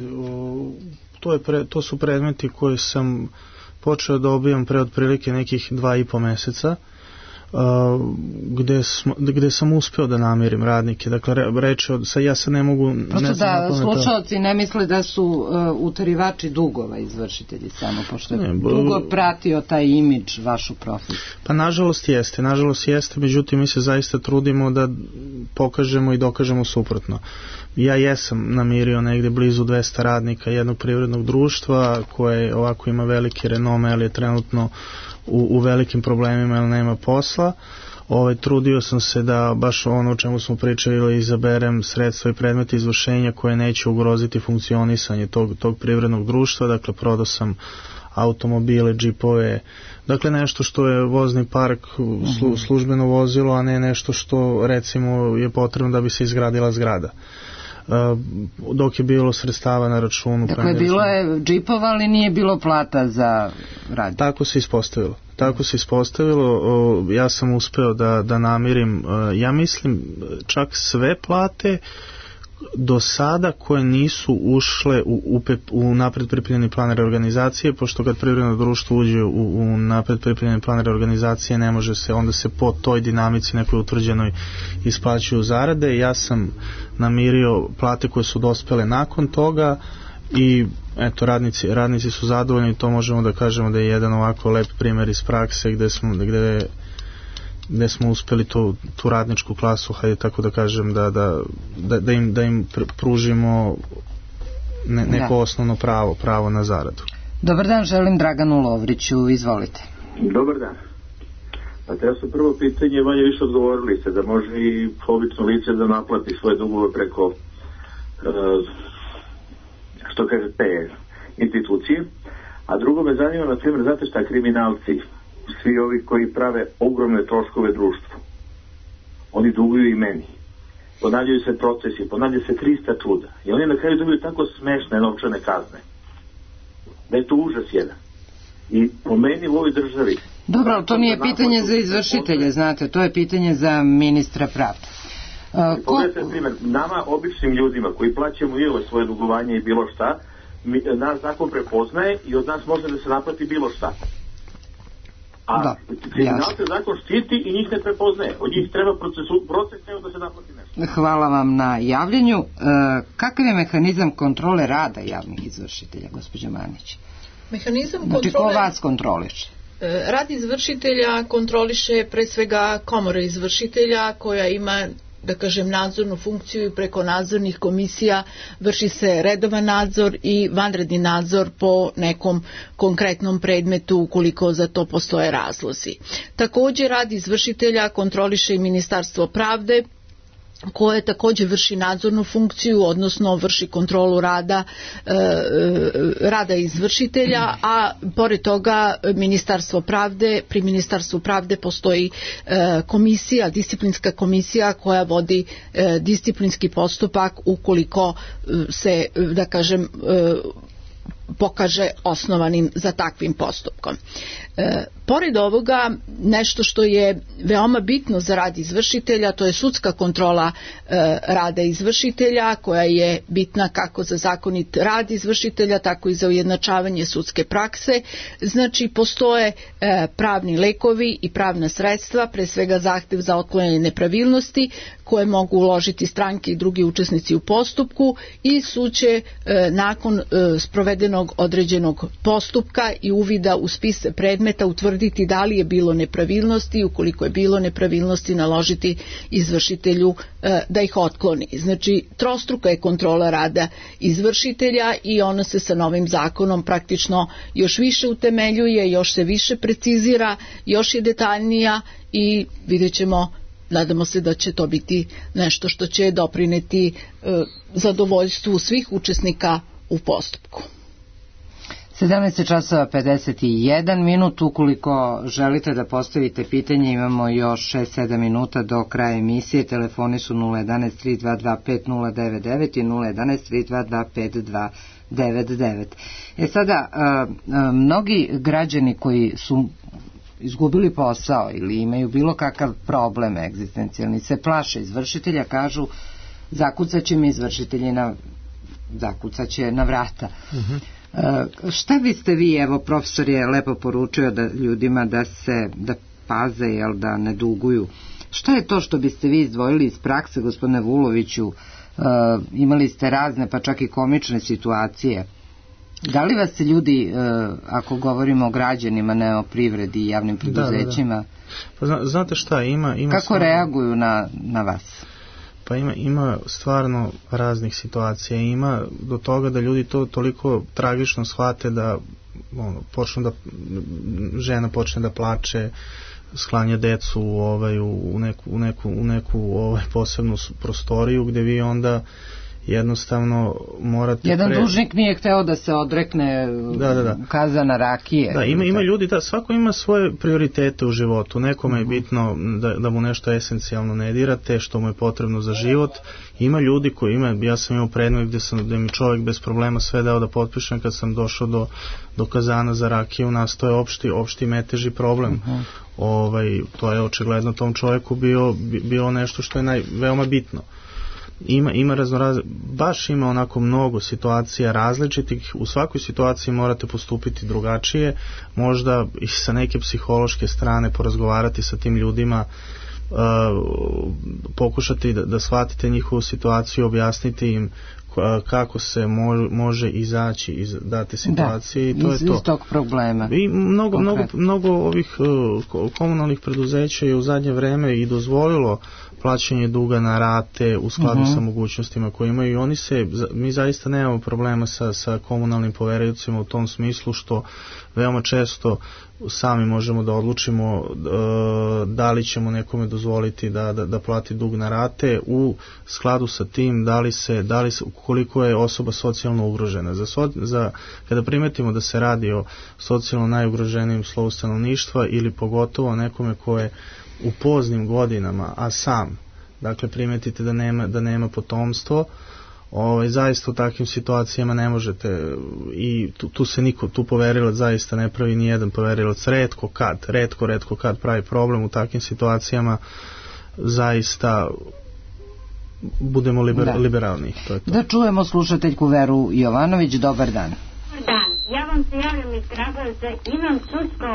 to su predmeti koje sam počeo da dobijam pre otprilike nekih 2,5 meseca, gde sam uspeo da namirim radnike. Dakle, reći ja se ne mogu... Prosto da slušalci ne misle da su utarivači dugova izvršitelji samo, pošto je dugo pratio taj imidž vašu profesiju. Pa nažalost jeste, međutim mi se zaista trudimo da pokažemo i dokažemo suprotno. Ja jesam namirio negde blizu 200 radnika jednog privrednog društva koje ovako ima velike renome, ali je trenutno u velikim problemima jer nema posla. Trudio sam se da baš ono o čemu smo pričali izaberem sredstva i predmete izvršenja koje neće ugroziti funkcionisanje tog privrednog društva. Dakle, prodao sam automobile, džipove, dakle nešto što je vozni park, službeno vozilo, a ne nešto što recimo je potrebno da bi se izgradila zgrada. Dok je bilo sredstava na računu. Dakle, bilo je džipova, ali nije bilo plata za rad. Tako se ispostavilo. Ja sam uspeo da namirim, ja mislim, čak sve plate do sada koje nisu ušle u napred pripremljeni plan reorganizacije, pošto kad privredno društvo uđe u napred pripremljeni plan reorganizacije ne može se, onda se po toj dinamici nekoj utvrđenoj isplaćuju zarade. Ja sam namirio plate koje su dospele nakon toga i eto, radnici su zadovoljni i to možemo da kažemo da je jedan ovako lep primjer iz prakse gde smo uspeli tu radničku klasu, hajde tako da kažem, da im pružimo neko osnovno pravo na zaradu. Dobar dan, želim Draganu Lovriću, izvolite. Dobar dan. Pa treba su prvo pitanje, manje više odgovorili se da može i obično lice da naplati svoje dugove preko što kaže te institucije, a drugo me zanima, na primjer, znate šta, kriminalci, svi ovi koji prave ogromne troškove društvu, oni duguju i meni. ponavljaju se procesi, ponavlja se 300 čuda. I oni na kraju dobiju tako smešne novčane kazne. Da je to užas jedan. I po meni u ovoj državi... Dobro, ali to nije pitanje za izvršitelje, znate, to je pitanje za ministra pravde. Pogledajte primjer, nama običnim ljudima koji plaćamo i ovo svoje dugovanje i bilo šta, nas zakon prepoznaje i od nas može da se naplati bilo šta. A kriminalce zakon štiti i njih ne prepoznaje. Od njih treba proces nego da se naplati nešto. Hvala vam na javljanju. Kakav je mehanizam kontrole rada javnih izvršitelja, gospođo Manić? Mehanizam kontrole... Znači, ko vas kontroliše? Rad izvršitelja kontroliše pre svega komora izvršitelja koja ima, da kažem, nadzornu funkciju i preko nadzornih komisija vrši se redovan nadzor i vanredni nadzor po nekom konkretnom predmetu ukoliko za to postoje razlozi. Također rad izvršitelja kontroliše i Ministarstvo pravde koje također vrši nadzornu funkciju, odnosno vrši kontrolu rada izvršitelja, a pored toga pri Ministarstvu pravde postoji komisija, disciplinska komisija koja vodi disciplinski postupak ukoliko se, da kažem, pokaže osnovanim za takvim postupkom. Pored ovoga, nešto što je veoma bitno za rad izvršitelja, to je sudska kontrola rada izvršitelja, koja je bitna kako za zakonit rad izvršitelja, tako i za ujednačavanje sudske prakse. Znači, postoje pravni lekovi i pravna sredstva, pre svega zahtev za otklanjanje nepravilnosti, koje mogu uložiti stranke i drugi učesnici u postupku i sud će nakon sprovedenog određenog postupka i uvida u spis predmeta utvrditi da li je bilo nepravilnosti, ukoliko je bilo nepravilnosti naložiti izvršitelju da ih otkloni. Znači, trostruka je kontrola rada izvršitelja i ona se sa novim zakonom praktično još više utemeljuje, još se više precizira, još je detaljnija i vidjet ćemo, nadamo se da će to biti nešto što će doprineti zadovoljstvu svih učesnika u postupku. 17:51 minut, ukoliko želite da postavite pitanje, imamo još 6-7 minuta do kraja emisije. Telefoni su 011-3225-099 i 011-3225-299. Sada, mnogi građani koji su izgubili posao ili imaju bilo kakav problem egzistencijalni se plaše izvršitelja, kažu zakucaće mi izvršitelji zakucaće na vrata. Šta biste vi, evo profesor je lepo poručio da ljudima da paze, da ne duguju, šta je to što biste vi izdvojili iz prakse, gospodine Vuloviću? Imali ste razne pa čak i komične situacije. Da li vas ljudi, ako govorimo o građanima, ne o privredi i javnim preduzećima, Pa znate šta, ima kako reaguju na vas? Pa ima stvarno raznih situacija, ima do toga da ljudi to toliko tragično shvate da žena počne da plače, sklanja decu u neku posebnu prostoriju gde vi onda jednostavno morate... Jedan dužnik nije hteo da se odrekne kazana rakije. Da, ima ljudi, svako ima svoje prioritete u životu. Nekome je bitno da mu nešto esencijalno ne dirate, što mu je potrebno za život. Ima ljudi koji ja sam imao predmet gde mi čovjek bez problema sve dao da potpišem, kad sam došao do kazana za rakiju, nastao je opšti meteži problem. To je očigledno tom čovjeku bio nešto što je veoma bitno. Ima baš ima onako mnogo situacija različitih, u svakoj situaciji morate postupiti drugačije, možda i sa neke psihološke strane porazgovarati sa tim ljudima, pokušati da shvatite njihovu situaciju, objasniti im kako se može izaći iz date situacije, i to je to. Iz tog problema. I mnogo ovih komunalnih preduzeća je u zadnje vreme i dozvolilo plaćanje duga na rate u skladu sa mogućnostima koje imaju, i mi zaista nemamo problema sa komunalnim poveriocima u tom smislu, što veoma često sami možemo da odlučimo da li ćemo nekome dozvoliti da plati dug na rate u skladu sa tim da li se koliko je osoba socijalno ugrožena. Kada primetimo da se radi o socijalno najugroženijim slovu stanovništva ili pogotovo nekome ko je u poznim godinama, a sam dakle primetite da nema potomstvo, zaista u takvim situacijama ne možete, i tu se tu poverilac zaista ne pravi ni jedan poverilac, retko kad pravi problem u takvim situacijama, zaista budemo liberalni. To je to. Da čujemo slušateljku Veru Jovanović. Dobar dan. Dan, ja vam se javljam iz Kragujevca, imam sudsko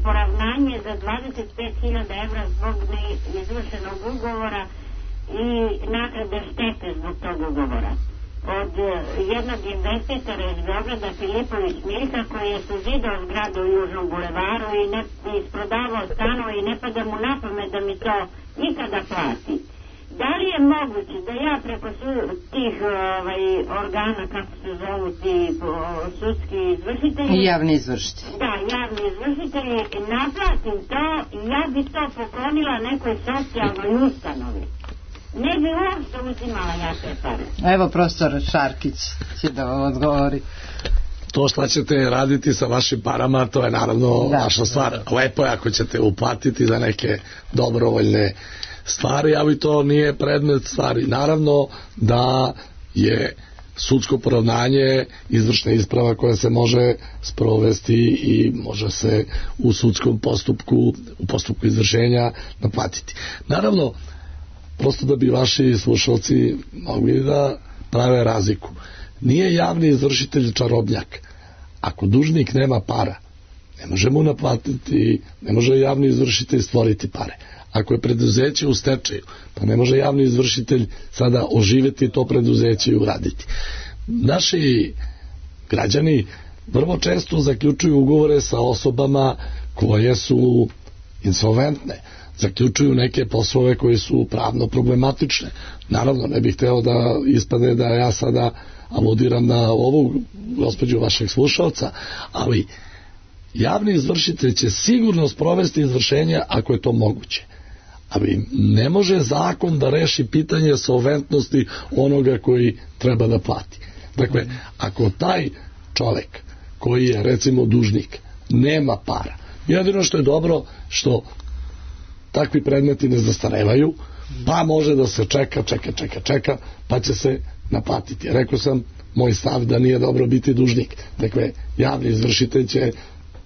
poravnanje za 25.000 evra zbog neizvršenog ugovora i naknade štete zbog tog ugovora od jednog investitora iz Beograda, Filipović Miljka, koji je suzidao zgradu u Južnom bulevaru i isprodavao stanove i ne pada mu na pamet da mi to nikada plati. Da li je moguće da ja preko tih organa, kako se zovu ti sudski izvršitelji, javni izvršitelji, naplatim to i ja bi to poklonila nekoj socijalnoj ustanovi? Ne bi uopšte uzimala ja te pare. Evo profesor Šarkić će da vam odgovori. To što ćete raditi sa vašim parama, to je naravno vaša stvar. Lepo je ako ćete uplatiti za neke dobrovoljne stvari, ali to nije predmet stvari. Naravno da je sudsko poravnanje izvršna isprava koja se može sprovesti i može se u sudskom postupku, u postupku izvršenja naplatiti. Naravno, prosto da bi vaši slušalci mogli da prave razliku. Nije javni izvršitelj čarobnjak. Ako dužnik nema para, ne može mu naplatiti, ne može javni izvršitelj stvoriti pare. Ako je preduzeće u stečaju, pa ne može javni izvršitelj sada oživjeti to preduzeće i uraditi. Naši građani vrlo često zaključuju ugovore sa osobama koje su insolventne, zaključuju neke poslove koji su pravno problematične. Naravno, ne bih hteo da ispade da ja sada aludiram na ovu gospođu vašeg slušalca, ali javni izvršitelj će sigurno sprovesti izvršenje ako je to moguće. Ali ne može zakon da reši pitanje solventnosti onoga koji treba da plati. Dakle, ako taj čovjek koji je recimo dužnik nema para, jedino što je dobro što takvi predmeti ne zastarevaju, pa može da se čeka, pa će se naplatiti. Rekao sam moj stav da nije dobro biti dužnik. Dakle, javni izvršitelj će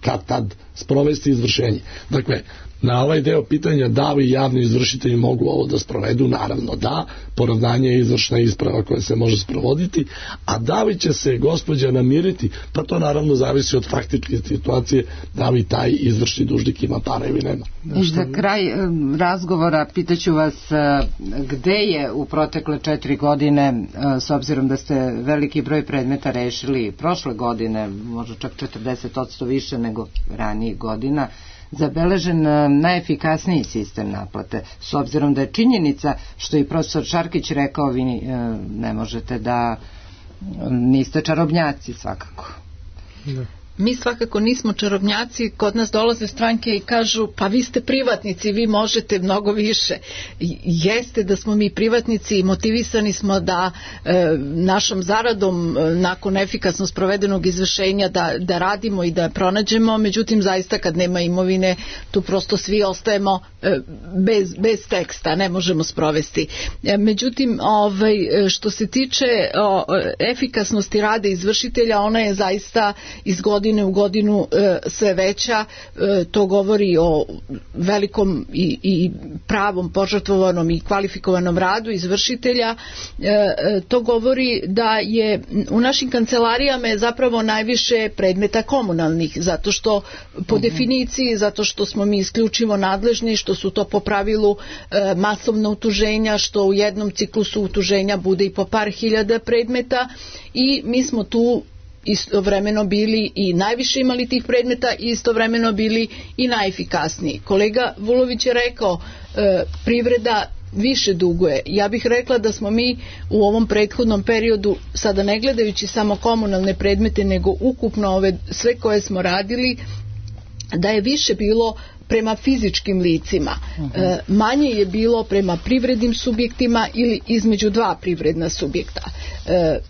kad tad sprovesti izvršenje. Dakle, na ovaj deo pitanja da li javni izvršitelji mogu ovo da sprovedu, naravno da, poravnanje je izvršna isprava koja se može sprovoditi, a da li će se gospođa namiriti, pa to naravno zavisi od faktičke situacije, da li taj izvršni dužnik ima para ili nema. I za kraj razgovora pitaću vas gde je u protekle 4 godine, s obzirom da ste veliki broj predmeta rešili prošle godine, možda čak 40% više nego ranijih godina, zabeležen najefikasniji sistem naplate, s obzirom da je činjenica, što je profesor Šarkić rekao, vi ne možete da niste čarobnjaci svakako. Mi svakako nismo čarobnjaci, kod nas dolaze stranke i kažu pa vi ste privatnici, vi možete mnogo više. Jeste da smo mi privatnici i motivisani smo da našom zaradom nakon efikasno sprovedenog izvršenja da radimo i da pronađemo, međutim zaista kad nema imovine tu prosto svi ostajemo bez teksta, ne možemo sprovesti. Međutim, što se tiče efikasnosti rada izvršitelja, ona je zaista iz godine u godinu sve veća. To govori o velikom i pravom požrtvovanom i kvalifikovanom radu izvršitelja. To govori da je u našim kancelarijama je zapravo najviše predmeta komunalnih, zato što po definiciji, zato što smo mi isključivo nadležni, što su to po pravilu masovna utuženja, što u jednom ciklusu utuženja bude i po par hiljada predmeta i mi smo tu istovremeno bili i najviše imali tih predmeta i istovremeno bili i najefikasniji. Kolega Vulović je rekao privreda više duguje. Ja bih rekla da smo mi u ovom prethodnom periodu, sada ne gledajući samo komunalne predmete, nego ukupno ove sve koje smo radili, da je više bilo prema fizičkim licima. Manje je bilo prema privrednim subjektima ili između dva privredna subjekta.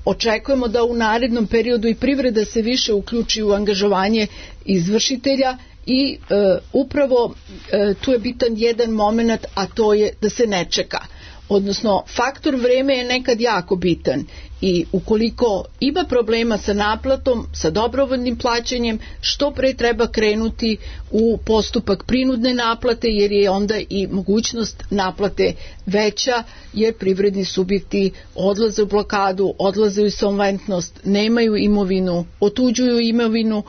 Očekujemo da u narednom periodu i privreda se više uključi u angažovanje izvršitelja i upravo tu je bitan jedan moment, a to je da se ne čeka. odnosno faktor vreme je nekad jako bitan i ukoliko ima problema sa naplatom, sa dobrovoljnim plaćanjem, što pre treba krenuti u postupak prinudne naplate, jer je onda i mogućnost naplate veća, jer privredni subjekti odlaze u blokadu, odlaze u insolventnost, nemaju imovinu, otuđuju imovinu.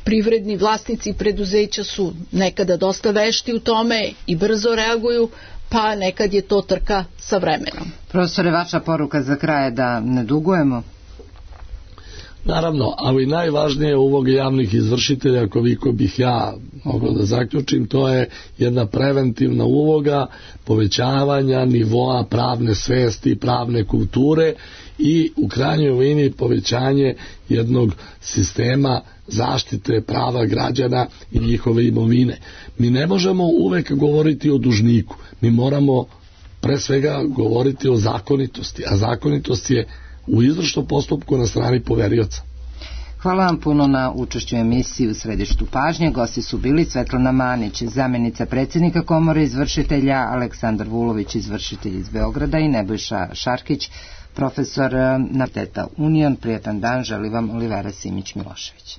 Privredni vlasnici preduzeća su nekada dosta vešti u tome i brzo reaguju, pa nekad je to trka sa vremenom. Profesore, vaša poruka za kraj je da ne dugujemo? Naravno, ali najvažnije uloga javnih izvršitelja, koliko bih ja mogao da zaključim, to je jedna preventivna uloga povećavanja nivoa pravne svesti, pravne kulture i u krajnjoj liniji povećanje jednog sistema zaštite prava građana i njihove imovine. Mi ne možemo uvek govoriti o dužniku, mi moramo pre svega govoriti o zakonitosti, a zakonitost je u izvršnom postupku na strani poverioca. Hvala vam puno na učešću emisiji U središtu pažnje. Gosti su bili Svetlana Manić, zamjenica predsjednika Komore izvršitelja, Aleksandar Vulović, izvršitelj iz Beograda i Nebojša Šarkić, profesor na Fakulteta Union. Prijatan dan želi vam Olivera Simić-Milošević.